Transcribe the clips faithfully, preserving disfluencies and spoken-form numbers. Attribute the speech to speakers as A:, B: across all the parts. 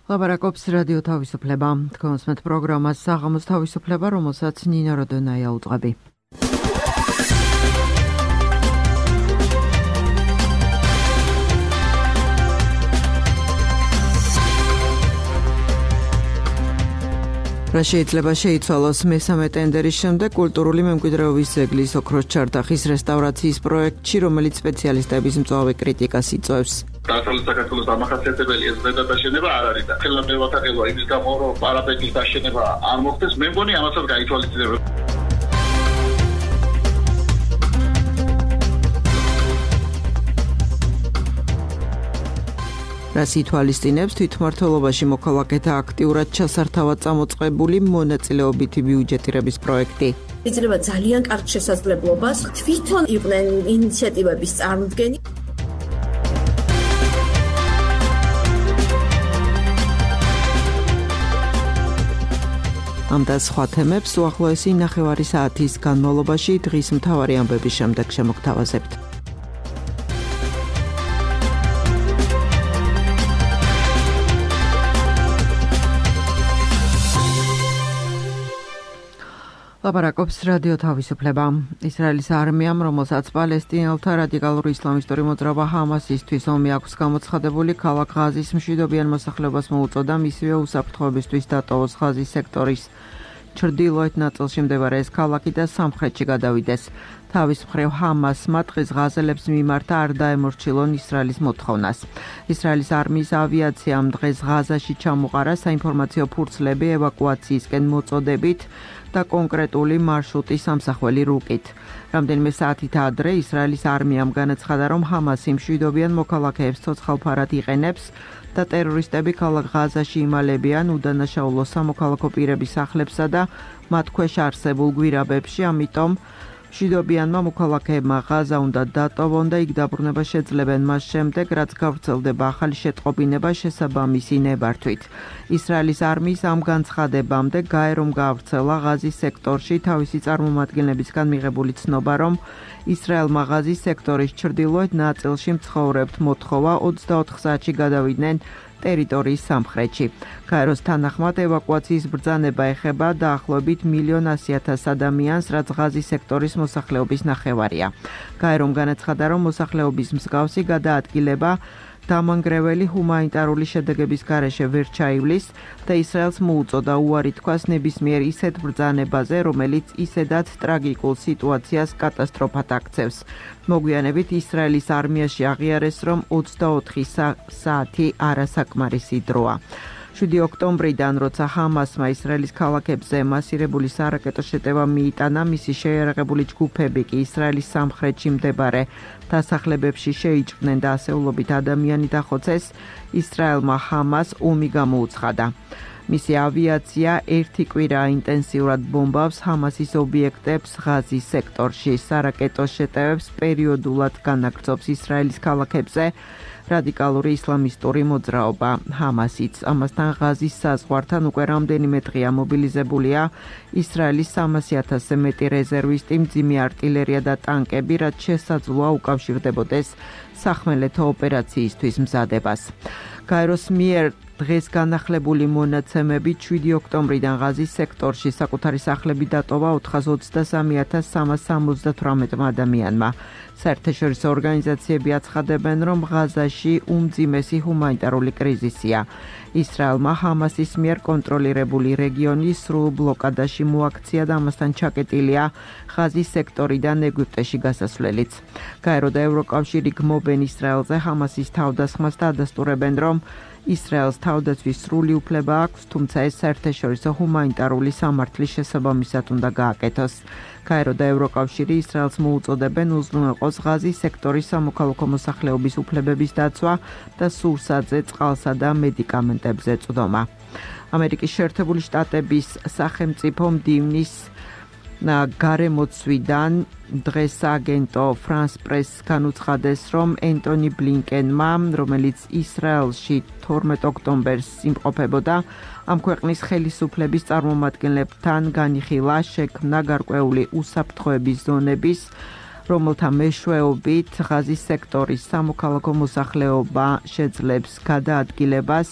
A: ლაპარაკობს რადიო თავისუფლება. თქვენს მეტ პროგრამას საღამოს თავისუფლება, რომელსაც ნინო როდონაია უძღვები. რა შეიძლება შეიცვალოს მესამე ტენდერის შემდეგ კულტურული მემკვიდრეობის ძეგლის ოქროს ჩარდახის რესტავრაციის პროექტში, რომელიც სპეციალისტების მწვავე კრიტიკას იწვევს.
B: დასავლეთ საქართველოს დამახასიათებელი ეს ზედადაშენება არ არის და ხელა მე ვათანხმდება იმის გამო, რომ პარაპეტის დაშენება არ მოხდეს, მე მგონი ამასაც გაითვალისწინებენ. რას ითვალისწინებს თვითმმართველობაში მოქალაქეთა აქტიურად ჩასართავად წამოწყებული მონაწილეობითი ბიუჯეტირების პროექტი.
C: იძლევა ძალიან კარგ შესაძლებლობას თვითონ იყვნენ ინიციატივების წარმოდგენი. ამ და სხვა თემებს უახლოესი ნახევარი საათის განმავლობაში დღის მთავარი ამბების შემდეგ შემოგთავაზებთ. ლაპარაკობს რადიო თავისუფლება. ისრაელის არმიამ, რომელსაც პალესტინელთა რადიკალური ისლამისტური მოძრაობა ჰამასისთვის ომი აქვს გამოცხადებული, ქალაქ ღაზის მშვიდობიან მოსახლეობას მოუწოდა მისივე უსაფრთხოებისთვის დატოვოს ღაზის სექტორის ჩრდილოეთ ნაწილში მდებარე ეს ქალაქი და სამხრეთში გადავიდეს. თავის მხრივ ჰამასმა დღეს ღაზელებს მიმართა არ დაემორჩილონ ისრაელის მოთხოვნას. ისრაელის არმიის ავიაციამ დღეს ღაზაში ჩამოყარა საინფორმაციო ფურცლები ევაკუაციისკენ მოწოდებით და კონკრეტული მარშრუტის სამსახველი რუკით. რამდენიმე საათით ადრე ისრაელის არმიამ განაცხადა, რომ ჰამასი მშვიდობიან მოქალაქეებს ცოცხალფარად იყენებს და ტერორისტები ქალაქ ღაზაში იმალებიან უდანაშაულო სამოქალაქო პირების სახლებსა და მათ ქვეშ არსებულ გვირაბებში, ამიტომ მშვიდობიანმა მოქალაქეებმა ღაზა უნდა დატოვონ და იქ დაბრუნება შეძლებენ მას შემდეგ, რაც გავრცელდება ახალი შეტყობინება შესაბამისი ნებართვით. ისრაელის არმიის ამ განცხადებამდე გაერომ გაავრცელა ღაზის სექტორში თავისი წარმომადგენლებისგან მიღებული ცნობა, რომ ისრაელმა ღაზის სექტორის ჩრდილოეთ ნაწილში მცხოვრებთ მოთხოვა ოცდაოთხ საათში გადავიდნენ ტერიტორიის სამხრეთში. გაეროს თანახმად ევაკუაციის ბრძანება ეხება დაახლოებით მილიონ ასი ათას ადამიანს, რაც ღაზის სექტორის მოსახლეობის ნახევარია. გაერომ განაცხადა, რომ მოსახლეობის მსგავსი გადაადგილება დამანგრეველი ჰუმანიტარული შედეგების გარეშე ვერ ჩაივლის და ისრაელს მოუწოდა უარი თქვას ნებისმიერ ისეთ ბრძანებაზე, რომელიც ისედაც ტრაგიკულ სიტუაციას კატასტროფად აქცევს. მოგვიანებით ისრაელის არმიაში აღიარეს, რომ ოცდაოთხი საათი არასაკმარისი დროა. შვიდი ოქტომბრიდან, როცა ჰამასმა ისრაელის ქალაქებზე მასირებული სარაკეტო შეტევა მიიტანა, მისი შეიარაღებული ჯგუფები კი ისრაელის სამხრეთში მდებარე დასახლებებში შეიჭრნენ და ასეულობით ადამიანი დახოცეს, ისრაელმა ჰამას ომი გამოუცხადა. მისი ავიაცია ერთი კვირა ინტენსიურად ბომბავს ჰამასის ობიექტებს ღაზის სექტორში. სარაკეტო შეტევებს პერიოდულად განაგრძობს ისრაელის ქალაქებზე რადიკალური ისლამისტური მოძრაობა ჰამასიც. ამასთან ღაზის საზღვართან უკვე რამდენიმე დღეა მობილიზებულია ისრაელის სამასი ათასზე მეტი რეზერვისტი, მძიმე არტილერია და ტანკები, რაც შესაძლოა უკავშირდებოდეს სახმელეთო ოპერაციისთვის მზადებას. გაეროს მიერ დღეს განახლებული მონაცემებით შვიდი ოქტომბრიდან ღაზის სექტორში საკუთარი სახლები დატოვა ოთხას ოცდასამი ათას სამას სამოცდათვრამეტმა ადამიანმა. საერთაშორისო ორგანიზაციები აცხადებენ, რომ ღაზაში უმძიმესი ჰუმანიტარული კრიზისია. ისრაელმა ჰამასის მიერ კონტროლირებული რეგიონი სრულ ბლოკადაში მოაქცია და ამასთან ჩაკეტილია ღაზის სექტორიდან ეგვიპტეში გასასვლელიც. გაერო და ევროკავშირი გმობენ ისრაელზე ჰამასის თავდასხმას და ადასტურებენ, რომ ისრაელს თავდაცვის სრული უფლება აქვს, თუმცა ეს საერთაშორისო ჰუმანიტარული სამართლის შესაბამისად უნდა გააკეთოს. გაერო და ევროკავშირი ისრაელს მოუწოდებენ უზრუნველყოს ღაზის სექტორის სამოქალაქო მოსახლეობის უფლებების დაცვა და სურსათზე, წყალსა და მედიკამენტებზე წვდომა. ამერიკის შეერთებული შტატების სახელმწიფო მდივნის გარემოცვიდან დღეს აგენტო France Press განუცხადეს, რომ ენტონი ბლინკენმა, რომელიც ისრაელში თორმეტ ოქტომბერს იმყოფებოდა, ამ ქვეყნის ხელისუფლების წარმომადგენლებთან განიხილა შექმნა გარკვეული უსაფრთხოების ზონების, რომელთა მეშვეობით ღაზის სექტორის სამოქალაქო მოსახლეობა შეძლებს გადაადგილებას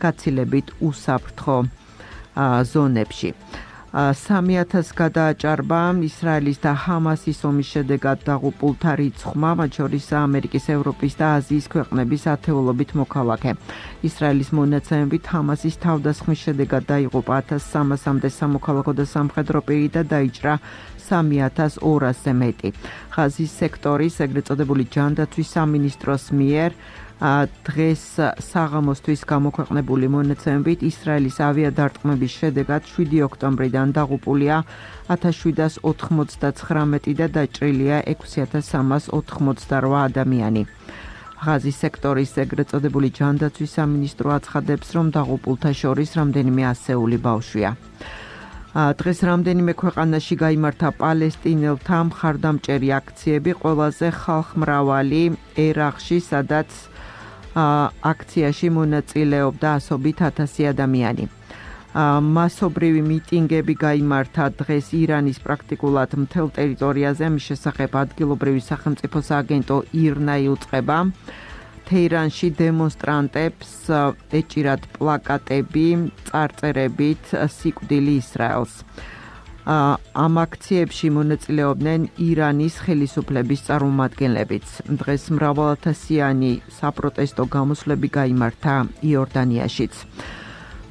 A: გაცილებით უსაფრთხო ზონებში. სამი ათასს გადააჭარბა ისრაელის და ჰამასის ომის შედეგად დაღუპულთა რიცხვმა, მათ შორის ამერიკის, ევროპის და აზიის ქვეყნების ათეულობით მოქალაქე. ისრაელის მონაცემებით ჰამასის თავდასხმის შედეგად დაიღუპა ათას სამასამდე სამოქალაქო და სამხედრო პირი და დაიჭრა სამი ათას ორასზე მეტი. ღაზის სექტორის ეგრეთ წოდებული ჯანდაცვის სამინისტროს მიერ დღეს საღამოსთვის გამოქვეყნებული მონაცემებით ისრაელის ავიადარტყმების შედეგად შვიდი ოქტომბრიდან დაღუპულია ათას შვიდას ოთხმოცდაცხრამეტი და დაჭრილია ექვსი ათას სამას ოთხმოცდარვა ადამიანი. ღაზის სექტორის ეგრეთ წოდებული ჯანდაცვის სამინისტრო აცხადებს, რომ დაღუპულთა შორის რამდენიმე ასეული ბავშვია. დღეს რამდენიმე ქვეყანაში გაიმართა პალესტინელთა მხარდამჭერი აქციები, ყველაზე ხალხმრავალი ერაყში, სადაც აქციაში მონაწილეობდა ასობით ათასი ადამიანი. მასობრივი მიტინგები გაიმართა დღეს ირანის პრაქტიკულად მთელ ტერიტორიაზე, მის შესახებ ადგილობრივი სახელმწიფო სააგენტო ირნა იუწყება. თეირანში დემონსტრანტებს ეჭირათ პლაკატები წარწერებით სიკვდილი ისრაელს. ამ აქციებში მონაწილეობდნენ ირანის ხელისუფლების წარმომადგენლებიც. დღეს მრავალათასიანი საპროტესტო გამოსვლები გაიმართა იორდანიაშიც.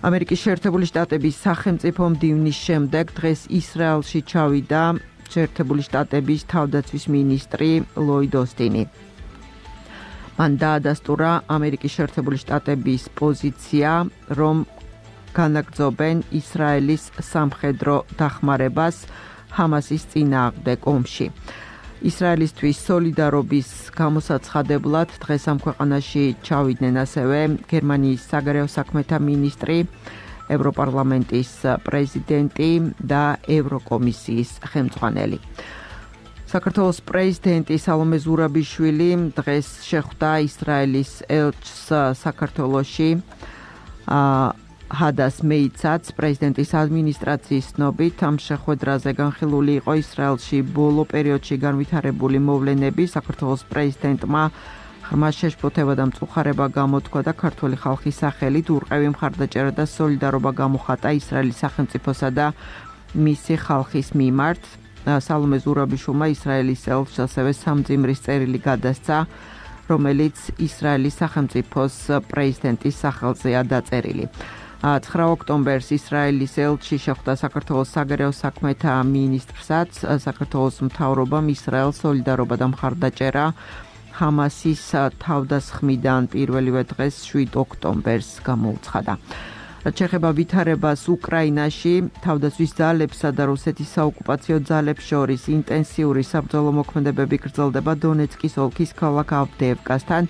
A: ამერიკის შეერთებული შტატების სახელმწიფო მდივნის შემდეგ დღეს ისრაელში ჩავიდა შეერთებული შტატების თავდაცვის მინისტრი ლოიდ ოსტინი. მან დაადასტურა ამერიკის შეერთებული შტატების პოზიცია, რომ განაგრძობენ ისრაელის სამხედრო დახმარებას ჰამასის წინააღმდეგ ომში. ისრაელისთვის სოლიდარობის გამოსაცხადებლად დღეს ამ ქვეყანაში ჩავიდნენ ასევე გერმანიის საგარეო საქმეთა მინისტრი, ევროპარლამენტის პრეზიდენტი და ევროკომისიის ხელმძღვანელი. საქართველოს პრეზიდენტი სალომე ზურაბიშვილი დღეს შეხვდა ისრაელის ელჩს საქართველოში. ჰადას მეიცაც პრეზიდენტის ადმინისტრაციის ცნობით ამ შეხვედრაზე განხილული იყო ისრაელში ბოლო პერიოდში განვითარებული მოვლენები. საქართველოს პრეზიდენტმა ღრმა შეშფოთება და მწუხარება გამოთქვა და ქართველი ხალხის სახელით ურყევი მხარდაჭერა და სოლიდარობა გამოხატა ისრაელის სახელმწიფოსა და მისი ხალხის მიმართ. სალომე ზურაბიშვილმა ისრაელის ელჩს ასევე სამძიმრის წერილი გადასცა, რომელიც ისრაელის სახელმწიფოს პრეზიდენტის სახელზეა დაწერილი. ცხრა ოქტომბერს ისრაელის ელჩი შეხვდა საქართველოს საგარეო საქმეთა მინისტრსაც. საქართველოს მთავრობამ ისრაელს სოლიდარობა და მხარდაჭერა ჰამასის თავდასხმიდან პირველივე დღეს შვიდ ოქტომბერს გამოუცხადა. რაც შეეხება ვითარებას უკრაინაში, თავდაცვის ძალებსა და რუსეთის საოკუპაციო ძალებს შორის ინტენსიური საბრძოლო მოქმედებები გრძელდება დონეცკის ოლქის ქალაქ ავდეევკასთან.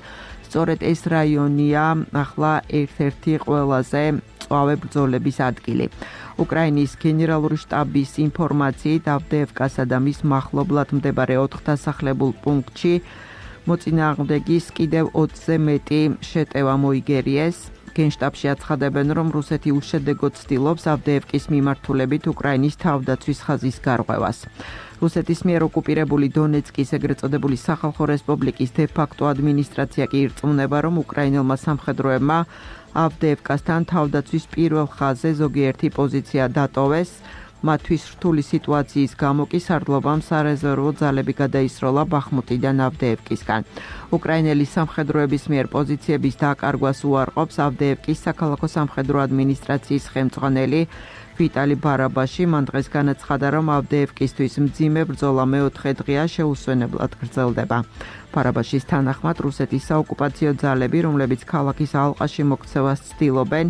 A: სწორედ ეს რაიონია ახლა ერთ-ერთი ყველაზე მწვავე ბრძოლების ადგილი. უკრაინის გენერალური შტაბის ინფორმაციით ავდეევკასა და მის მახლობლად მდებარე ოთხ დასახლებულ პუნქტში მოწინააღმდეგის კიდევ ოცზე მეტი შეტევა მოიგერიეს. გენშტაბში აცხადებენ, რომ რუსეთი უშედეგოდ ცდილობს ავდეევკის მიმართულებით უკრაინის თავდაცვის ხაზის გარღვევას. რუსეთის მიერ ოკუპირებული დონეცკის ეგრეთ წოდებული სახალხო რესპუბლიკის დე-ფაქტო ადმინისტრაცია კი ირწმუნება, რომ უკრაინელმა სამხედროებმა ავდეევკასთან თავდაცვის პირველ ხაზზე ზოგიერთი პოზიცია დატოვეს. მათთვის რთული სიტუაციის გამო კი სარდლობამ სარეზერვო ძალები გადაისროლა ბახმუტიდან ავდეევკისგან. უკრაინელი სამხედროების მიერ პოზიციების დაკარგვას უარყოფს ავდეევკის საქალაქო სამხედრო ადმინისტრაციის ხელმძღვანელი ვიტალი ბარაბაში. მან დღეს განაცხადა, რომ ავდეევკისთვის მძიმე ბრძოლა მეოთხე დღეა შეუსვენებლად გრძელდება. ბარაბაშის თანახმად რუსეთის საოკუპაციო ძალები, რომლებიც ქალაქის ალყაში მოქცევას ცდილობენ,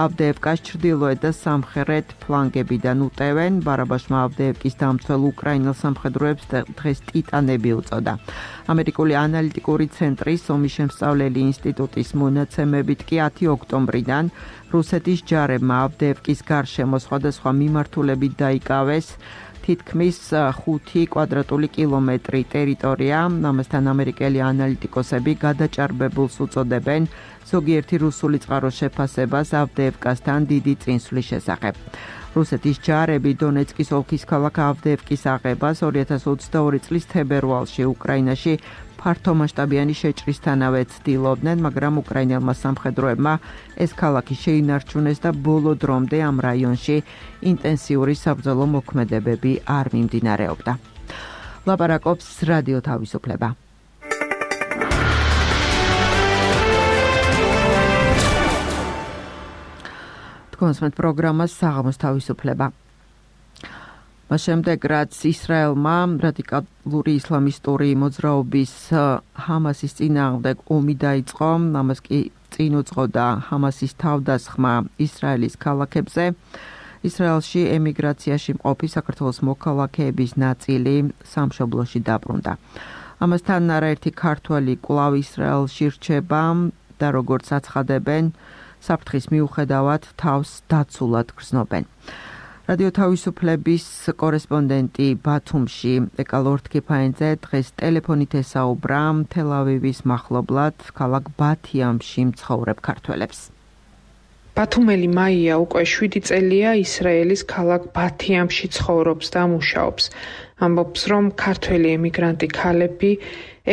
A: ავდეევკას ჩრდილოეთ და სამხრეთ ფლანგებიდან უტევენ. ბარაბაშმა ავდეევკის დამცველ უკრაინელ სამხედროებს დღეს ტიტანები უწოდა. ამერიკული ანალიტიკური ცენტრის ომის შემსწავლელი ინსტიტუტის მონაცემებით კი ათი ოქტომბრიდან რუსეთის ჯარებმა ავდეევკის გარშემო სხვადასხვა მიმართულებით დაიკავეს თითქმის ხუთი კვადრატული კილომეტრი ტერიტორია. ამასთან ამერიკელი ანალიტიკოსები გადაჭარბებულს უწოდებენ ზოგიერთი რუსული წყაროს შეფასებას ავდეევკასთან დიდი წინსვლის შესახებ. რუსეთის ჯარები დონეცკის ოლქის ქალაქ ავდეევკის აღებას ორი ათას ოცდაორი წლის თებერვალში უკრაინაში ფართომასშტაბიანი შეჭრისთანავე ცდილობდნენ, მაგრამ უკრაინელმა სამხედროებმა ეს ქალაქი შეინარჩუნეს და ბოლო დრომდე ამ რაიონში ინტენსიური საბრძოლო მოქმედებები არ მიმდინარეობდა. ლაპარაკობს რადიო თავისუფლება. კონსმეთ პროგრამას საღამოს თავისუფლება. მას შემდეგ რაც ისრაელმა რადიკალური ისლამისტური მოძრაობის ჰამასის წინააღმდეგ ომი დაიწყო, ამას კი წინ უძღოდა ჰამასის თავდასხმა ისრაელის ქალაქებზე, ისრაელში ემიგრაციაში მყოფი საქართველოს მოქალაქეების ნაწილი სამშობლოში დაბრუნდა. ამასთან არაერთი ქართველი კვლავ ისრაელში რჩება და როგორც აცხადებენ, საფრთხის მიუხედავად თავს დაცულად გრძნობენ. რადიო თავისუფლების კორესპონდენტი ბათუმში ეკა ლორთქიფაინძე დღეს ტელეფონით ესაუბრა თელ-ავივის მახლობლად ქალაქ ბათიამში მცხოვრებ ქართველებს.
D: ბათუმელი მაია უკვე შვიდი წელია ისრაელის ქალაქ ბათიამში ცხოვრობს და მუშაობს. ამბობს, რომ ქართველი ემიგრანტი ქალები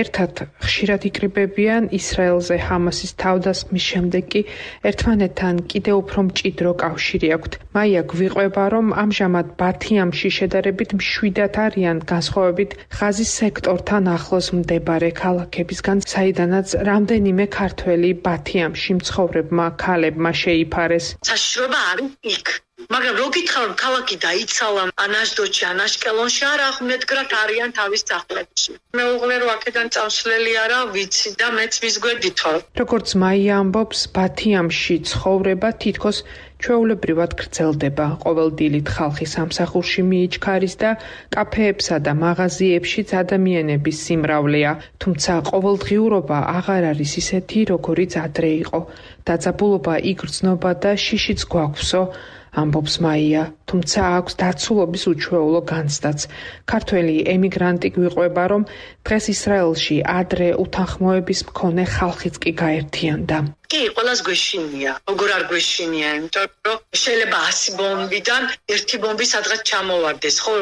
D: ერთად ხშირად იკრიბებიან ისრაელზე ჰამასის თავდასხმის შემდეგ კი ერთმანეთთან კიდევ უფრო მჭიდრო კავშირი აქვთ. მაია გვიყვება, რომ ამჟამად ბათიამში შედარებით მშვიდად არიან განსხვავებით ღაზის სექტორთან ახლოს მდებარე ქალაქებისგან, საიდანაც რამდენიმე ქართველი ბათიამში მცხოვრებმა ქალებმა შეიფარეს.
E: საშიშროება არის იქ. მაგრამ რო გითხარ ქალაქი დაიცალა ან აშდოდში ან აშკელონში არა მეტგრად არიან თავის სახლებში. მეუღლე რო აქედან წავსვლელი არა ვიცი და მეც მის გვერდით ვარ.
D: როგორც მაია ამბობს, ბათიამში ცხოვრება თითქოს ჩვეულებრივად გრძელდება. ყოველ დილით ხალხი სამსახურში მიიჩქარის და კაფეებსა და მაღაზიებშიც ადამიანების სიმრავლეა, თუმცა ყოველდღიურობა აღარ არის ისეთი, როგორიც ადრე იყო. დაძაბულობა იგრძნობა და შიშიც გვაქვსო, ამბობს მაია, თუმცა აქვს დაცულობის უჩვეულო განცდაც. ქართველი ემიგრანტი გვიყვება, რომ დღეს ისრაელში ადრე უთანხმოების მქონე ხალხიც კი გაერთიანდა.
E: კი, ყველას გვეშინია. როგორ არ გვეშინია, იმიტომ რომ შეიძლება ასი ბომბიდან ერთი ბომბი სადღაც ჩამოვარდეს. ხო,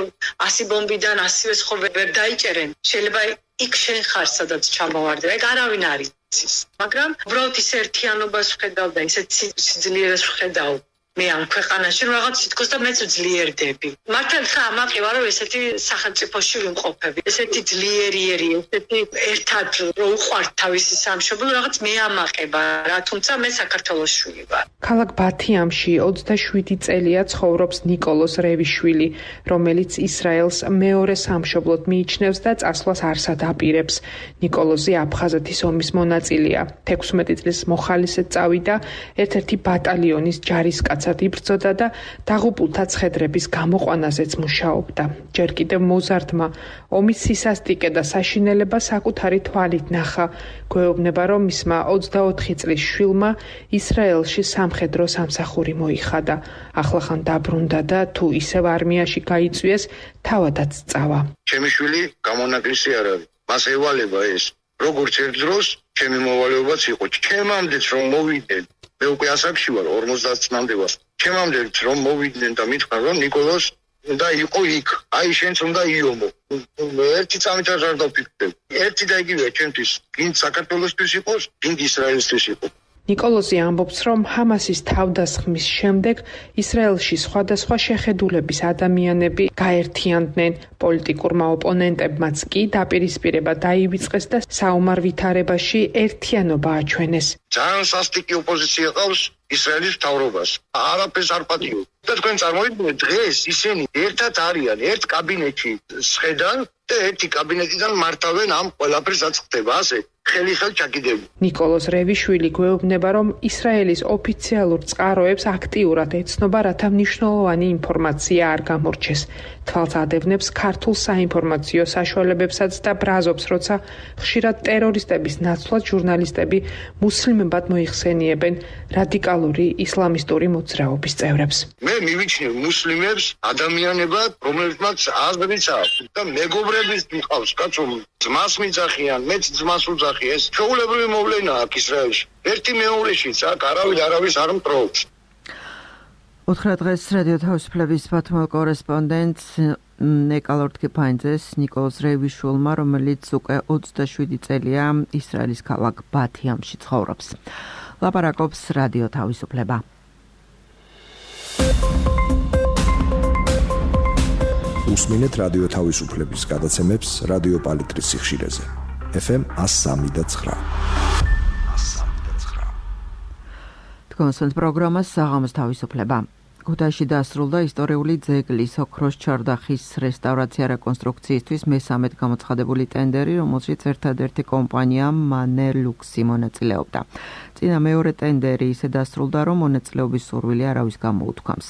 E: ასი ბომბიდან ასივეს ხო ვერ დაიჭერენ. შეიძლება იქ შენ ხარ, სადაც ჩამოვარდება. ეგ არავინ არ იცის. მაგრამ უბრალოდ ის ერთიანობას ვხედავ და ისეთ სიძლიერეს ვხედავ. მე ამ ქვეყანაში რაღაც თითქოს და მეც ძლიერდები. მართალია ამაყივა რომ ესეთი სახელმწიფოში ვიმყოფები. ესეთი ძლიერიერი, ესეთი ერთად რო უყვართ თავისი სამშობლო, რაღაც მე ამაყება რა, თუმცა მე საქართველოს შვილი ვარ.
D: ქალაქ ბათიამში ოცდაშვიდი წელია ცხოვრობს ნიკოლოზ რევიშვილი, რომელიც ისრაელს მეორე სამშობლოდ მიიჩნევს და წასვლას არსად აპირებს. ნიკოლოზი აფხაზეთის ომის მონაწილეა. თექვსმეტი წლის მოხალისედ წავიდა ერთ-ერთი ბატალიონის ჯარისკაცად იბრძოდა და დაღუპულთა ცხედრების გამოყვანაზეც მუშაობდა. ჯერ კიდევ მოზარდმა ომის სისასტიკე და საშინელება საკუთარი თვალით ნახა. გვეუბნება, რომ მისმა ოცდაოთხი წლის შვილმა ისრაელში სამხედრო სამსახური მოიხადა. ახლახან დაბრუნდა და თუ ისევ არმიაში გაიწვიეს, თავადაც წავა.
F: ჩემი შვილი გამონაკლისი არ არის. მას ევალება ეს. როგორც ერთ დროს ჩემი მოვალეობაც იყო. ჩემამდეც რომ მოვიდნენ მე უკვე ასაკში ვარ, ორმოცდაათ წლამდე ვარ. ჩემამდეც რომ მოვიდნენ და მითხრა რომ ნიკოლოზ უნდა იყო იქ. აი შენც უნდა იომო. ერთი წამით არ დავფიქრებ. ერთი და იგივეა ჩემთვის. გინდ საქართველოსთვის იყოს, გინდ ისრაელისთვის იყოს.
D: ნიკოლოზი ამბობს, რომ ჰამასის თავდასხმის შემდეგ ისრაელში სხვადასხვა შეხედულების ადამიანები გაერთიანდნენ. პოლიტიკურმა ოპონენტებმაც კი დაპირისპირება დაივიწყეს და საომარ ვითარებაში ერთიანობა აჩვენეს.
F: ძალიან სასტიკი ოპოზიცია ყავს ისრაელის მთავრობას. არაფერს არ პატიო. და თქვენ წარმოიდგინეთ, დღეს ისინი ერთად არიან, ერთ კაბინეტში სხედან და ერთი კაბინეტიდან მართავენ ამ ყველაფერს რაც ხდება, ასე ხელი-ხელ ჩაკიდები.
D: ნიკოლოზ რევიშვილი გვეუბნება, რომ ისრაელის ოფიციალურ წყაროებს აქტიურად ეცნობა, რათა მნიშვნელოვანი ინფორმაცია არ გამორჩეს. თვალს ადევნებს ქართულ საინფორმაციო საშუალებებსაც და ბრაზობს, როცა ხშირად ტერორისტების ნაცვლად ჟურნალისტები მუსლიმებად მოიხსენიებენ რადიკალური ისლამისტური მოძრაობის წევრებს.
F: მე მივიჩნევ მუსლიმებს ადამიანებად, რომლებსაც აზრიც აქვს და მეგობრების მყავს, კაცო, ძმას მიძახიან, მეც ძმას უძახი, ეს ჩვეულებრივი მოვლენა აქვს ისრაელში. ერთი მეორეშიც აქ არავინ არავის არ მტრობს.
A: უთხრა დღეს რადიო თავისუფლების ბათუმელ კორესპონდენტს ნეკალორთკი ფაინძეს ნიკოლოზ რევიშვილმა, რომელიც უკვე ოცდაშვიდი წელია ისრაელის ქალაქ ბათიამში ცხოვრობს. ლაპარაკობს რადიო თავისუფლება.
G: უსმინეთ რადიო თავისუფლების გადაცემებს რადიო პალიტრის სიხშირეზე. ეფ ემ εκατო სამი და ცხრა.
A: თქვენს პროგრამას საღამოს თავისუფლება. ქუთაისში დასრულდა ისტორიული ძეგლის ოქროს ჩარდახის რესტავრაცია რეკონსტრუქციისთვის მესამედ გამოცხადებული ტენდერი, რომელშიც ერთადერთი კომპანია მანე ლუქსი მონაწილეობდა. წინა მეორე ტენდერი ისე დასრულდა, რომ მონაწილეობის სურვილი არავის გამოუთქვამს.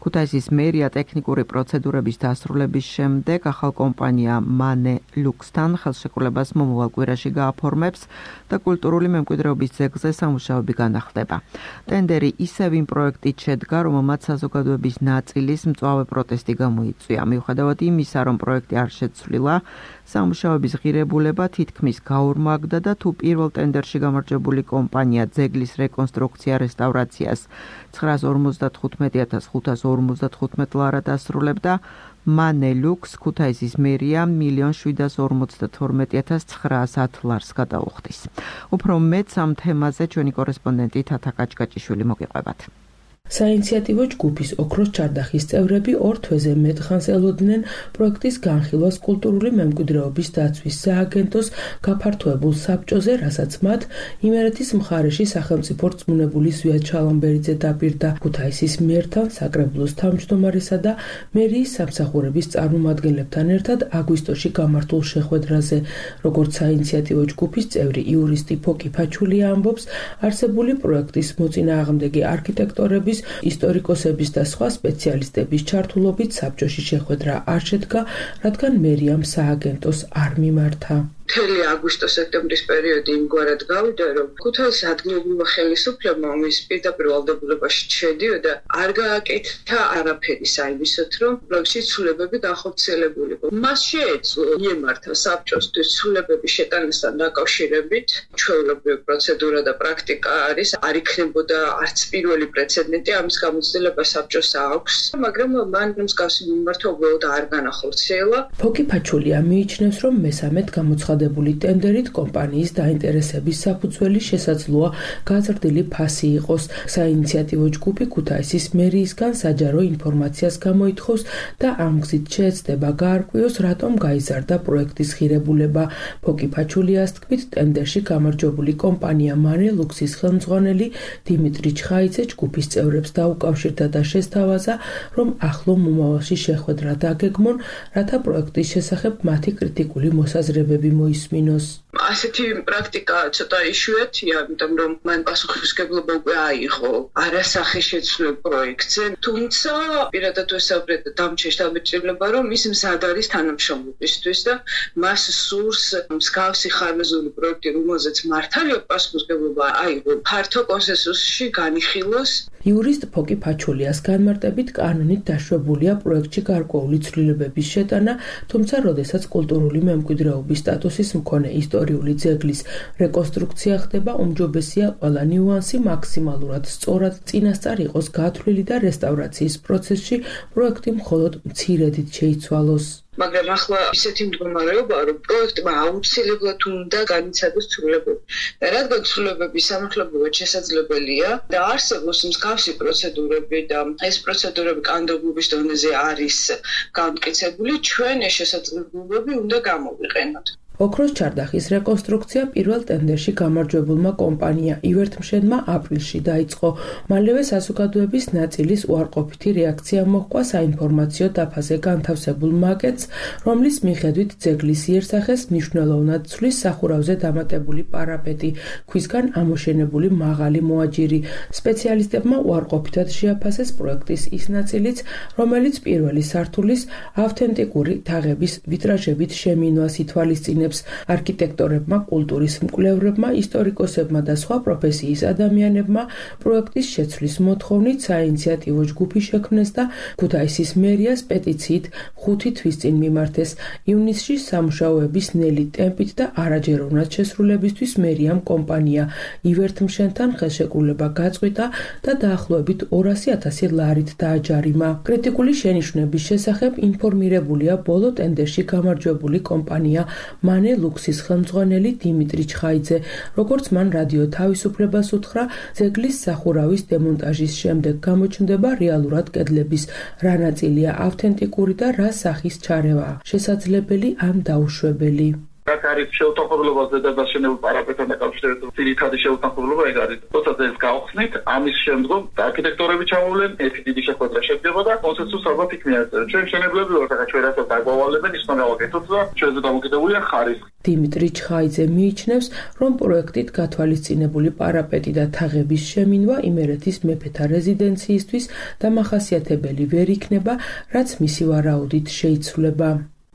A: ქუთაისის მერია ტექნიკური პროცედურების დასრულების შემდეგ ახალ კომპანია მანე ლუქსთან ხელშეკრულებას მომავალ კვირაში გააფორმებს და კულტურული მემკვიდრეობის ძეგლზე სამუშაოები განახლდება. ტენდერი ისევ იმ პროექტით შედგა, რომელმაც საზოგადოების ნაწილის მწვავე პროტესტი გამოიწვია. მიუხედავად იმისა, რომ პროექტი არ შეცვლილა, სამუშაოების ღირებულება თითქმის გაორმაგდა და თუ პირველ ტენდერში გამარჯვებული კომპანია ძეგლის რეკონსტრუქცია რესტავრაციას ცხრაას ორმოცდათხუთმეტი ათას ხუთას ორმოცდათხუთმეტ ლარად ასრულებდა, მანე ლუქს ქუთაისის მერია მილიონ შვიდას ორმოცდათორმეტი ათას ცხრაასათ ლარს გადაუხდის. უფრო მეტ ამ თემაზე ჩვენი კორესპონდენტი თათა კაჭკაჭიშვილი მოგიყვებათ.
H: საინიციატივო ჯგუფის ოქროს ჩარდახის წევრები ორ თვეზე მეტ ხანს ელოდნენ პროექტის განხილვას კულტურული მემკვიდრეობის დაცვის სააგენტოს გაფართოებულ საბჭოზე, რასაც მათ იმერეთის მხარეში სახელმწიფო რწმუნებული ზვიად ჩალამბერიძე დაპირდა. ქუთაისის მერთან, საკრებულოს თავმჯდომარესა და მერიის სამსახურების წარმომადგენლებთან ერთად აგვისტოში გამართულ შეხვედრაზე. როგორც საინიციატივო ჯგუფის წევრი იურისტი ფოკი ფაჩულია ამბობს, არსებული პროექტის მოწინააღმდეგე არქიტექტორების ისტორიკოსების და სხვა სპეციალისტების ჩართულობით საბჭოში შეხვედრა არ შედგა, რადგან მერიამ სააგენტოს არ მიმართა.
E: მთელი აგვისტო-სექტემბრის პერიოდი იმგვარად გავიდა, რომ ქუთაისის ადგილობრივმა ხელისუფლებამ მის პირდაპირ ვალდებულებაში შედიოდა, არ გააკეთა არაფერი საიმისოთ, რომ პროექტის ცვლილებები განხორციელებული იყო. მას შეეძლო მიემართა საბჭოსთვის ცვლილებების შეტანასთან დაკავშირებით, ჩვეულებრივი პროცედურა და პრაქტიკა არის, არ იქნებოდა არც პირველი პრეცედენტი, ამის გამოცდილება საბჭოს აქვს, მაგრამ მან მსგავსი მიმართვა უბრალოდ არ განახორციელა.
H: ფოკი ფაჩულია მიიჩნევს, რომ მესამედ გამოცხადებული ტენდერით კომპანიის დაინტერესების საფუძველი შესაძლოა გაზრდილი ფასი იყოს. საინიციატივო ჯგუფი ქუთაისის მერიისგან საჯარო ინფორმაციას გამოითხოვს და ამ გზით შეეცდება გაარკვიოს, რატომ გაიზარდა პროექტის ღირებულება. ფოკი ფაჩულიას თქმით, ტენდერში გამარჯვებული კომპანია მანე ლუქსის ხელმძღვანელი დიმიტრი ჩხაიძე ჯგუფის წევრებს დაუკავშირდა და შესთავაზა, რომ ახლო მომავალში შეხვედრა დაგეგმონ, რათა პროექტის შესახებ მათი კრიტიკული მოსაზრებები მოისმინოს.
E: ასეთი პრაქტიკა ცოტა იშვიათია, იმიტომ რომ მან პასუხისმგებლობა უკვე აიღო არასახის შეცვლილ პროექტზე, თუმცა პირადად ვესაუბრეთ დამჩეშ დაბეჭდილება, რომ ის მზად არის თანამშრომლობისთვის და მას სურს მსგავსი ხარვეზული პროექტი, რომელზეც მართალია პასუხისმგებლობა აიღო, ფართო კონსენსუსში განიხილოს.
H: იურისტ ფოკი ფაჩულიას განმარტებით, კანონით დაშვებულია პროექტში გარკვეული ცვლილებების შეტანა, თუმცა როდესაც კულტურული მემკვიდრეობის სტატუსის მქონე ისტორიული ძეგლის რეკონსტრუქცია ხდება, უმჯობესია ყველა ნიუანსი მაქსიმალურად სწორად წინასწარ იყოს გათვლილი და რესტავრაციის პროცესში პროექტი მხოლოდ მცირედით შეიცვალოს.
E: მაგრამ ახლა ისეთი მდგომარეობა, რომ პროექტმა აუცილებლად უნდა განიცადოს ცვლილებები. და რადგან ცვლილებების სამართლებრივად შესაძლებელია და არსებობს მსგავსი პროცედურები და ეს პროცედურები კანონმდებლობის დონეზე არის განმტკიცებული, ჩვენ ეს შესაძლებლობები უნდა გამოვიყენოთ.
H: ოქროს ჩარდახის რეკონსტრუქცია პირველ ტენდერში გამარჯვებულმა კომპანია ივერთმშენმა აპრილში დაიწყო. მალევე საზოგადოების ნაწილის უარყოფითი რეაქცია მოჰყვა საინფორმაციო დაფაზე განთავსებულ მაკეტს, რომლის მიხედვით ძეგლის იერსახეს მნიშვნელოვნად ცვლის სახურავზე დამატებული პარაპეტი, ქვისგან ამოშენებული მაღალი მოაჯირი. სპეციალისტებმა უარყოფითად შეაფასეს პროექტის ის ნაწილიც, რომელიც პირველი სართულის ავთენტიკური თაღების ვიტრაჟებით შემინვას ითვალისწინებს. ინტერესებს. არქიტექტორებმა, კულტურის მკვლევრებმა, ისტორიკოსებმა და სხვა პროფესიის ადამიანებმა პროექტის შეცვლის მოთხოვნით საინიციატივო ჯგუფი შექმნეს და ქუთაისის მერიას პეტიციით ხუთი თვის წინ მიმართეს. ივნისში სამუშაოების ნელი ტემპით და არაჯეროვნად შესრულებისთვის მერიამ კომპანია ივერთმშენთან ხელშეკრულება გაწყვიტა და დაახლოებით ორასი ათასი ლარით დააჯარიმა. კრიტიკული შენიშვნების შესახებ ინფორმირებულია ბოლო ტენდერში გამარჯვებული კომპანია მანე ლუქსის ხელმძღვანელი დიმიტრი ჩხაიძე. როგორც მან რადიო თავისუფლებას უთხრა, ძეგლის სახურავის დემონტაჟის შემდეგ გამოჩნდება რეალურად კედლების რა ნაწილია ავთენტიკური და რა სახის ჩარევა შესაძლებელი ან დაუშვებელი.
B: რაც არის შეუთანხმებლობაზე და დაშენებულ პარაპეტთან დაკავშირებით ძირითადი შეუთანხმებლობა ეგ არის. როცა ეს გავხსნით, ამის შემდგომ არქიტექტორები ჩამოვლენ, ერთი დიდი შეხვედრა შედგება და კონსენსუსს ალბათ იქ მიაღწევთ. ჩვენ მშენებლები ვართ, ახლა ჩვენ რასაც დაგვავალებენ, ის უნდა გავაკეთოთ და ჩვენზე დამოკიდებულია ხარისხი.
H: დიმიტრი ჩხაიძე მიიჩნევს, რომ პროექტით გათვალისწინებული პარაპეტი და თაღების შემინვა იმერეთის მეფეთა რეზიდენციისთვის დამახასიათებელი ვერ იქნება, რაც მისი ვარაუდით შეიცვლება.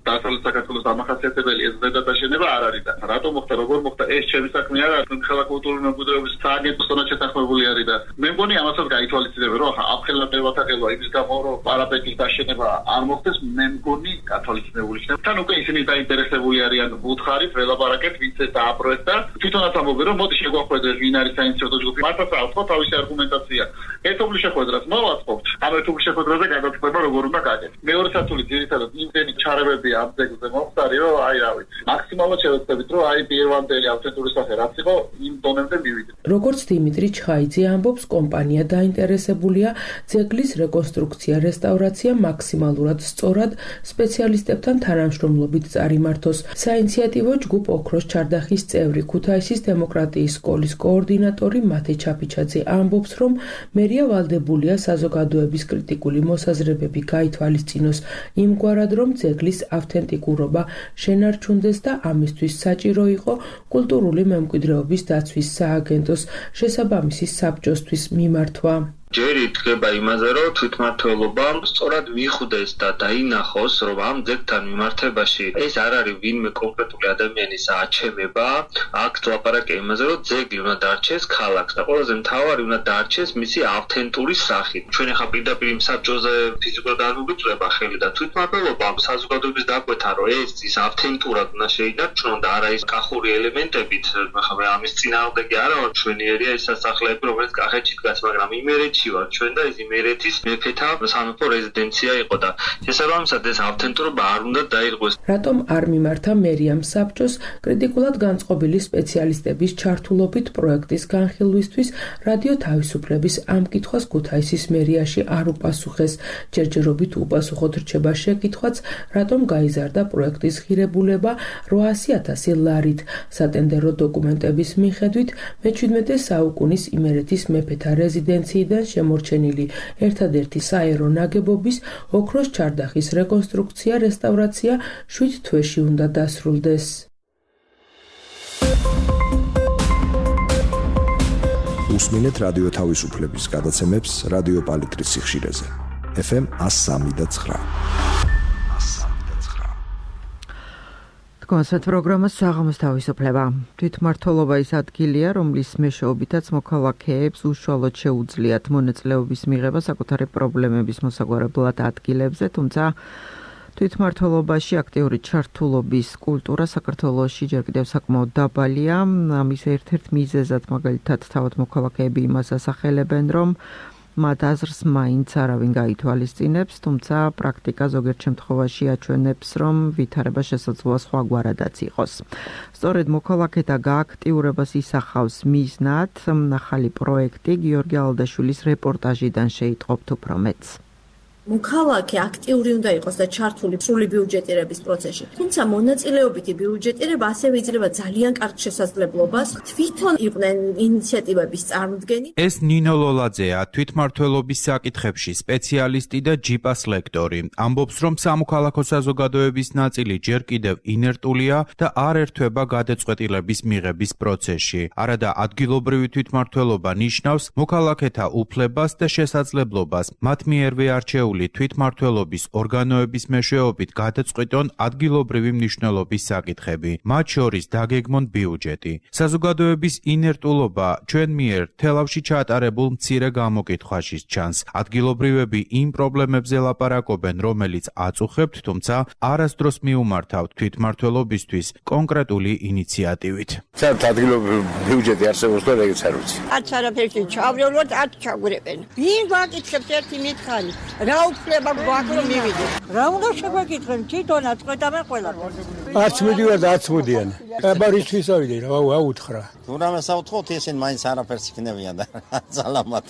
B: დასავლეთ საქართველოს დამახასიათებელი ეს ზედადაშენება არ არის და რატომ მოხდა, როგორ მოხდა, ეს ჩემი საქმე არ არის. ხელაკულტურული მემკვიდრეობის სააგენტოსთან შეთანხმებული არის და მე მგონი ამასაც გაითვალისწინებენ, რომ აფხელა მევათაგელვა იმის გამო, რომ პარაპეტის დაშენება არ მოხდეს, მე მგონი გათვალისწინებული იქნება. თან უკვე ისინი დაინტერესებული არიან უთხარით, ველაპარაკეთ, ვინც ეს დააპროექტა. თვითონაც ამბობენ, რომ მოდი შეგვახვედრეთ, ვინ არის საინიციატივო ჯგუფი. მართლაც ავთქვათ თავისი არგუმენტაცია. ერთობლივ შეხვედრას მოვაწყობთ. ამ ერთობლივ შეხვედრაზე გადაწყვეტება როგორ უნდა გაკეთდეს. მეორე სართული ძირითადად იმდენი ჩარევები ამ ძეგლზე მოხდარი, რომ აი რა ვიცი, მაქსიმალურად შევეცდებით, რომ აი პირვანდელი ავთენტური სახე რაც იყო, იმ დონემდე მივიდეთ.
H: როგორც დიმიტრი ჩხაიძე ამბობს, კომპანია დაინტერესებულია ძეგლის რეკონსტრუქცია, რესტავრაცია მაქსიმალურად სწორად სპეციალისტებთან თანამშრომლობით წარიმართოს. საინიციატივო ჯგუფ ოქროს ჩარდახის წევრი, ქუთაისის დემოკრატიის სკოლის კოორდინატორი მათე ჩაფიჩაძე ამბობს, რომ მერია ვალდებულია საზოგადოების კრიტიკული მოსაზრებები გაითვალისწინოს იმგვარად, რომ ძეგლის ავთენტიკურობა შენარჩუნდეს და ამისთვის საჭირო იყო კულტურული მემკვიდრეობის დაცვის სააგენტოს შესაბამისი საბჭოსთვის მიმართვა.
I: ჯერ იდგება იმაზე, რომ თვითმმართველობამ სწორად მიხვდეს და დაინახოს, რომ ამ ძეგლთან მიმართებაში ეს არ არის ვინმე კონკრეტული ადამიანის აჩემება, აქ ლაპარაკია იმაზე, რომ ძეგლი უნდა დარჩეს ქალაქს და ყველაზე მთავარი უნდა დარჩეს მისი ავთენტური სახით. ჩვენ ახლა პირდაპირ იმ საბჭოზე ფიზიკურად არ მოგიწვება ხელი და თვითმმართველობამ საზოგადოების დაკვეთა, რომ ეს ის ავთენტურად უნდა შეინარჩუნონ და არა ის კახური ელემენტებით, ახლა ამის წინააღმდეგი არა ვარ, ჩვენიერია ეს სასახლეები, რომელიც კახეთში დგას, მაგრამ იმერეთში ვარ ჩვენ და ეს იმერეთის მეფეთა სამეფო რეზიდენცია იყო და შესაბამისად ეს ავთენტურობა არ უნდა დაირღვეს.
H: რატომ არ მიმართა მერიამ საბჭოს კრიტიკულად განწყობილი სპეციალისტების ჩართულობით პროექტის განხილვისთვის რადიო თავისუფლების ამ კითხვას ქუთაისის მერიაში არ უპასუხეს. ჯერჯერობით უპასუხოდ რჩება შეკითხვაც, რატომ გაიზარდა პროექტის ღირებულება რვაასი ათასი ლარით. სატენდერო დოკუმენტების მიხედვით მეჩვიდმეტე საუკუნის იმერეთის მეფეთა რეზიდენციიდან შემორჩენილი ერთადერთი საერო ნაგებობის ოქროს ჩარდახის რეკონსტრუქცია, რესტავრაცია შვიდ თვეში უნდა დასრულდეს.
G: უსმინეთ რადიო თავისუფლების გადაცემებს რადიო პალიტრის სიხშირეზე. ეფ ემ εκατო სამი და ცხრა.
A: კონცერტ პროგრამას საღამოს თავისუფლება. თვითმმართველობა ის ადგილია, რომლის მეშვეობითაც მოქალაქეებს უშუალოდ შეუძლიათ მონაწილეობის მიღება საკუთარი პრობლემების მოსაგვარებლად ადგილებზე, თუმცა თვითმმართველობაში აქტიური ჩართულობის კულტურა საქართველოში ჯერ კიდევ საკმაოდ დაბალია. ამის ერთ-ერთ მიზეზად მაგალითად თავად მოქალაქეები იმას ასახელებენ, რომ მათ აზრს მაინც არავინ გაითვალისწინებს, თუმცა პრაქტიკა ზოგიერთ შემთხვევაში აჩვენებს, რომ ვითარება შესაძლოა სხვაგვარადაც იყოს. სწორედ მოქალაქეთა გააქტიურებას ისახავს მიზნად ახალი პროექტი გიორგი ალდაშვილის რეპორტაჟიდან შეიტყობთ უფრო მეტს.
J: მოქალაქე აქტიური უნდა იყოს და ჩართული სრული ბიუჯეტირების პროცესში. თუმცა მონაწილეობითი ბიუჯეტირება ასევე იძლევა ძალიან კარგ შესაძლებლობას თვითონ იყვნენ ინიციატივების წარმოდგენი.
K: ეს ნინო ლოლაძეა, თვითმმართველობის საკითხებში სპეციალისტი და ჯიპას ლექტორი. ამბობს, რომ სამოქალაქო საზოგადოების ნაწილი ჯერ კიდევ ინერტულია და არ ერთვება გადაწყვეტილების მიღების პროცესში. არადა ადგილობრივი თვითმმართველობა ნიშნავს მოქალაქეთა უფლებას და შესაძლებლობას მათ მიერვე არჩეული კონკრეტული თვითმმართველობის ორგანოების მეშვეობით გადაწყვიტონ ადგილობრივი მნიშვნელობის საკითხები, მათ შორის დაგეგმონ ბიუჯეტი. საზოგადოების ინერტულობა ჩვენ მიერ თელავში ჩაატარებულ მცირე გამოკითხვაში ჩანს. ადგილობრივები იმ პრობლემებზე ლაპარაკობენ, რომელიც აწუხებთ, თუმცა არასდროს მიუმართავთ თვითმმართველობისთვის კონკრეტული ინიციატივით.
L: საერთოდ ადგილობრივი ბიუჯეტი არსებობს და ეგეც არ ვიცი.
M: არც არაფერში ჩავრევლოთ, არც ჩაგვრებენ. ვინ გვაკითხებს ერთი მითხარი? რა უფლება გვაქვს რომ მივიდეთ? რა უნდა შეგვეკითხენ? თვითონაც ყვეტავენ ყველაფერს.
N: არც მიდივარ და არც მოდიან. აბა რისთვის ავიდე რა აუთხრა.
O: თუ რამე საუთხოთ ისინი მაინც არაფერს იქნებიან და ძალამატ.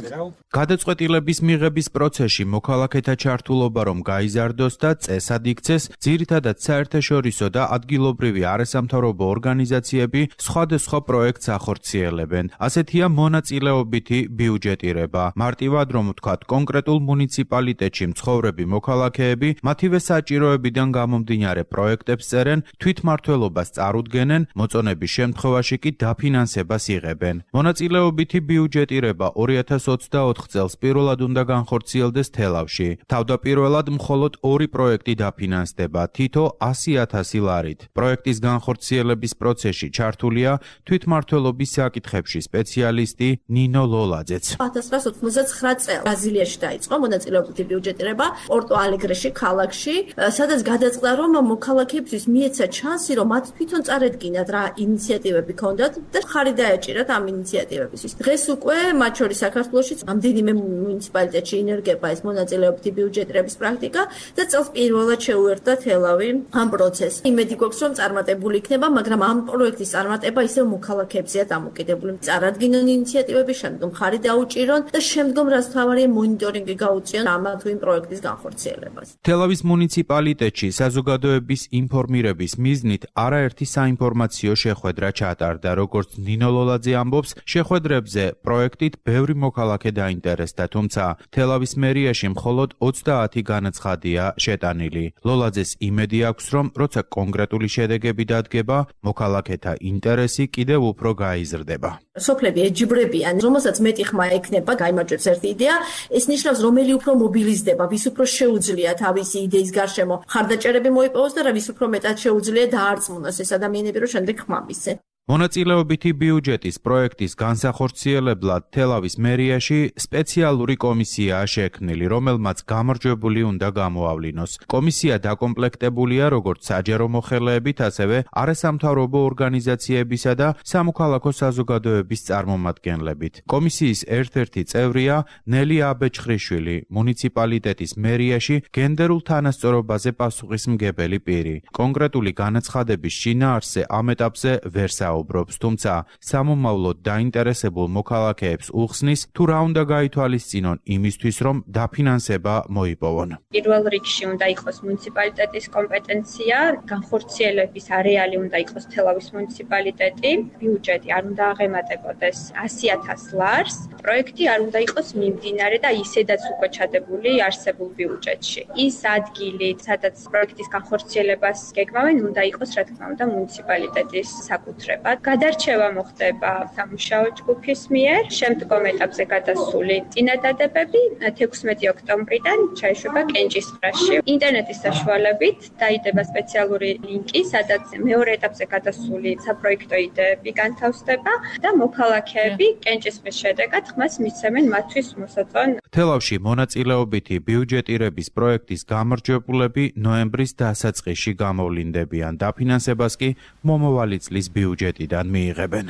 K: გადაწყვეტილების მიღების პროცესში მოქალაქეთა ჩართულობა რომ გაიზარდოს და წესად იქცეს, ძირითადად საერთაშორისო და ადგილობრივი არასამთავრობო ორგანიზაციები სხვადასხვა პროექტს ახორციელებენ. ასეთია მონაწილეობითი ბიუჯეტირება. მარტივად რომ ვთქვათ, კონკრეტულ მუნიციპალიტეტში მცხოვრები მოქალაქეები მათივე საჭიროებიდან გამომდინარე პროექტებს წერენ, თვითმმართველობას წარუდგენენ, მოწონების შემთხვევაში კი დაფინანსებას იღებენ. მონაწილეობითი ბიუჯეტირება ორი ათას ოცდაოთხ წელს პირველად უნდა განხორციელდეს თელავში. თავდაპირველად მხოლოდ ორი პროექტი დაფინანსდება, თითო ასი ათასი ლარით. პროექტის განხორციელების პროცესში ჩართულია თვითმმართველობის საკითხებში სპეციალისტი ნინო ლოლაძეც.
J: ათას ცხრაას ოცდაათი წელს ბრაზილიაში დაიწყო მონაწილეობითი ბიუჯეტირება პორტო ალეგრეში, ქალაქში, სადაც გადაწყდა რომ მოქალაქეებისთვის მიეცა ჩანსი, რომ მათ თვითონ წარედგინათ რა ინიციატივები ქონდათ და ხარი დაეჭირათ ამ ინიციატივებისთვის. დღეს უკვე მათ შორის საქართველოშიც ამდენიმე მუნიციპალიტეტში ინერგება ეს მონაწილეობითი ბიუჯეტირების პრაქტიკა და წელს პირველად შეუერთდა თელავი ამ პროცესს. იმედი გვაქვს რომ წარმატებული იქნება, მაგრამ ამ პროექტის წარმატება ისევ მოქალაქეებზეა დამოკიდებული. წარადგინონ ინიციატივები, შემდგომ ხარი დაუჭირონ და შემდგომ რაც თავარია მონიტორინგი გაუწიონ ამ თუ იმ პროექტის განხორციელებას.
K: თელავის მუნიციპალიტეტში საზოგადოების ინფორმირების მიზნით არაერთი საინფორმაციო შეხვედრა ჩატარდა, როგორც ნინო ლოლაძე ამბობს, შეხვედრებზე პროექტით ბევრი მოქალაქე დაინტერესდა, თუმცა თელავის მერიაში მხოლოდ ოცდაათი განაცხადია შეტანილი. ლოლაძეს იმედი აქვს, რომ როცა კონკრეტული შედეგები დადგება, მოქალაქეთა ინტერესი კიდევ უფრო გაიზრდება.
J: სოფლები ეჯიბრებიან, რომელსაც მეტი ხმა ექნება, გაიმარჯვებს ერთი იდეა, ეს ნიშნავს, რომელი უფრო მობილიზდება, ვის უფრო შეუძლია თავისი იდეის გარშემო ხარდაჭერები მოიპოვოს და რა ვის უფრო მეტად შეუძლია დაარწმუნოს ეს ადამიანები, რომ შემდეგ ხმა მისცენ.
K: მონაწილეობითი ბიუჯეტის პროექტის განსახორციელებლად თელავის მერიაში სპეციალური კომისიაა შექმნილი, რომელმაც გამარჯვებული უნდა გამოავლინოს. კომისია დაკომპლექტებულია როგორც საჯარო მოხელეებით, ასევე არასამთავრობო ორგანიზაციებისა და სამოქალაქო საზოგადოების წარმომადგენლებით. კომისიის ერთ-ერთი წევრია ნელი აბეჭხრიშვილი, მუნიციპალიტეტის მერიაში გენდერულ თანასწორობაზე პასუხისმგებელი პირი. კონკრეტული განაცხადების შინაარსზე ამ ეტაპზე ვერ საუბრობს, თუმცა სამომავლოდ დაინტერესებულ მოქალაქეებს უხსნის, თუ რა უნდა გაითვალისწინონ იმისთვის, რომ დაფინანსება მოიპოვონ.
P: პირველ რიგში უნდა იყოს მუნიციპალიტეტის კომპეტენცია, განხორციელების არეალი უნდა იყოს თელავის მუნიციპალიტეტი, ბიუჯეტი არ უნდა აღემატებოდეს ასი ათას ლარს, პროექტი არ უნდა იყოს მიმდინარე და ისედაც უკვე ჩადებული არსებულ ბიუჯეტში. ის ადგილი, სადაც პროექტის განხორციელებას გეგმავენ, უნდა იყოს, რა თქმა უნდა, მუნიციპალიტეტის საკუთრება. გადარჩევა მოხდება სამუშაო ჯგუფის მიერ, შემდგომ ეტაპზე გადასული წინადადებები თექვსმეტი ოქტომბრიდან ჩაეშვება კენჭისყრაში. ინტერნეტის საშუალებით დაიდება სპეციალური ლინკი, სადაც მეორე ეტაპზე გადასული საპროექტო იდეები განთავსდება და მოქალაქეები კენჭისყრის შედეგად ხმას მისცემენ მათთვის მოსაწონ.
K: თელავში მონაწილეობითი ბიუჯეტირების პროექტის გამარჯვებულები ნოემბრის დასაწყისში გამოვლინდებიან. დაფინანსებას კი მომავალი წლის ბიუჯეტიდან მიიღებენ.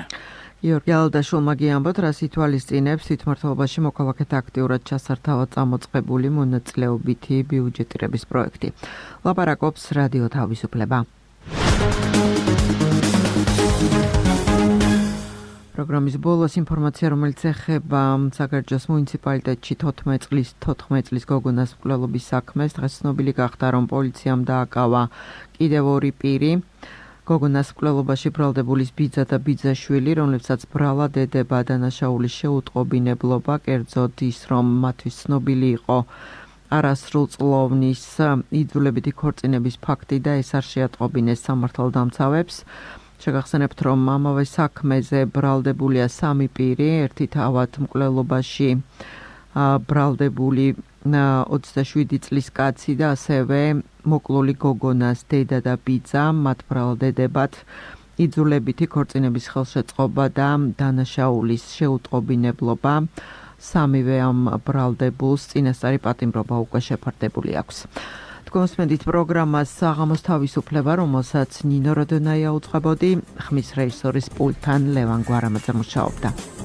A: გიორგი ალდაშულმა გიამბოთ, რას ითვალისწინებს თვითმმართველობაში მოქალაქეთა აქტიურად ჩასართავად წამოწყებული მონაწილეობითი ბიუჯეტირების პროექტი. ლაპარაკობს რადიო თავისუფლება. პროგრამის ბოლოს ინფორმაცია, რომელიც ეხება საგარეჯოს მუნიციპალიტეტში თოთხმეტ წლის თოთხმეტ წლის გოგონას მკვლელობის საქმეს, დღეს ცნობილი გახდა, რომ პოლიციამ დააკავა კიდევ ორი პირი. გოგონას მკვლელობაში ბრალდებულის ბიძა და ბიძაშვილი, რომლებსაც ბრალა დედება დანაშაულის შეუტყობინებლობა, კერძოდ ის, რომ მათთვის ცნობილი იყო არასრულწლოვნის იძულებითი ქორწინების ფაქტი და ეს არ შეატყობინეს სამართალდამცავებს. შეგახსენებთ, რომ ამავე საქმეზე ბრალდებულია სამი პირი, ერთი თავად მკვლელობაში ბრალდებული ოცდაშვიდი წლის კაცი და ასევე მოკლული გოგონას დედა და ბიძა მათ ბრალდებათ იძულებითი ქორწინების ხელშეწყობა და დანაშაულის შეუტყობინებლობა სამივე ამ ბრალდებულს წინასწარი პატიმრობა უკვე შეფარდებული აქვს. თქვენსმენდით პროგრამას საღამოს თავისუფლება, რომელსაც ნინო როდონაია უძღვებოდი, ხმის რეჟისორის პულტთან ლევან გვარამაძე მუშაობდა.